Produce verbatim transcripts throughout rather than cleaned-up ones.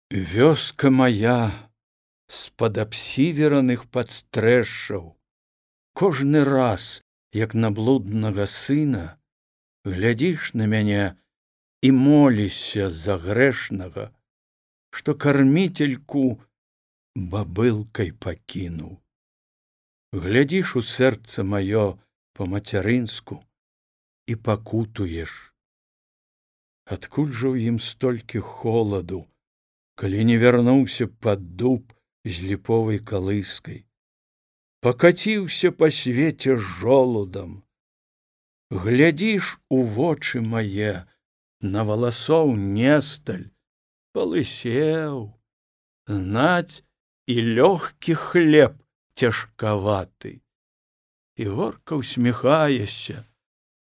Вёска моя з-пад абсівераных падстрэшшаў, кожны раз, як на блуднага сына, глядзіш на мяне і молішся за грэшнага, што карміцельку бабылкай пакінуў. Глядзіш у сэрца маё па-мацярынску і пакутуеш. Адкуль жа ў ім столькі холаду, калі не вярнуўся пад дуб з ліповай калыскай, пакаціўся па свеце жолудам. Глядзіш у вочы мае, на валасоў несталь, палысеў, знаць і лёгкі хлеб цяжкаваты. І горка ўсміхаешся,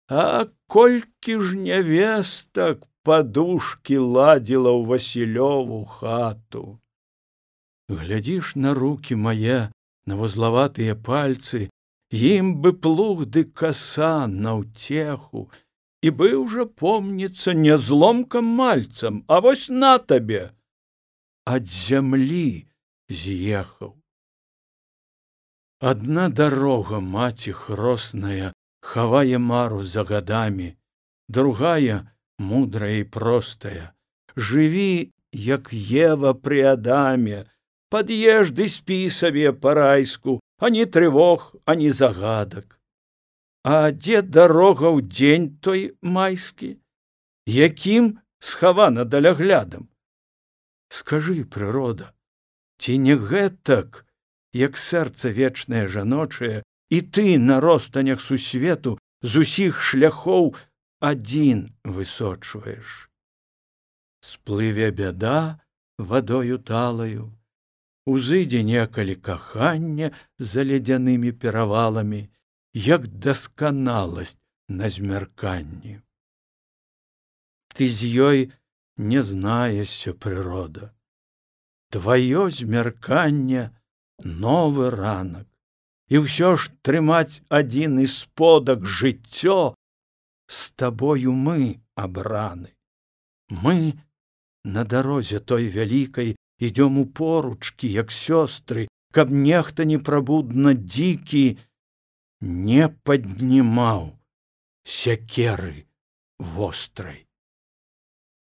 а колькі ж нявестак падушкі ладзіла ў Васілёву хату. Глядзіш на рукі мае, на вузлаватыя пальцы, ім бы плуг ды каса на ўцеху, і быў жа, помніцца, не зломкам мальцам, а вось на табе, ад зямлі з'ехаў. Адна дарога, маці хросная, хавае мару за гадамі, другая, мудрая і простая, жыві, як Ева пры Адаме, пад'еш ды спі сабе па-райску, ані трывог, ані загадак. А дзе дарога ў дзень той майскі, якім схавана даляглядам? Скажы, прырода, ці не гэтак, як сэрца вечнае жаночае, і ты на ростанях сусвету з усіх шляхоў адзін высочваеш? Сплыве бяда вадою талаю, узыдзе некалі кахання за ледзянымі пераваламі, як дасканаласць на змярканні. Ты з ёй не знаешся, прырода. Тваё змярканне новы ранак, і ўсё ж трымаць адзін і сподак жыццё з табою мы абраны. Мы на дарозе той вялікай ідём у поручкі, як сёстры, каб нехта непрабудна дзікі не паднімаў сякеры вострай.